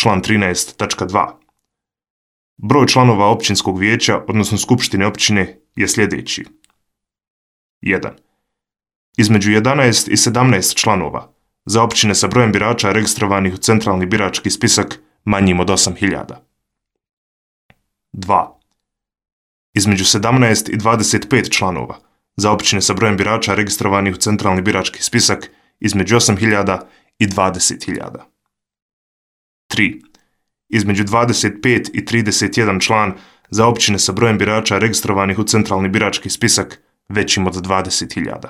član 13.2. Broj članova općinskog vijeća, odnosno skupštine općine, je sljedeći. 1. Između 11 i 17 članova, za općine sa brojem birača registrovanih u centralni birački spisak manjim od 8.000. 2. Između 17 i 25 članova, za općine sa brojem birača registrovanih u centralni birački spisak između 8.000 i 20.000. 3. Između 25 i 31 član, za općine sa brojem birača registrovanih u centralni birački spisak većim od 20.000.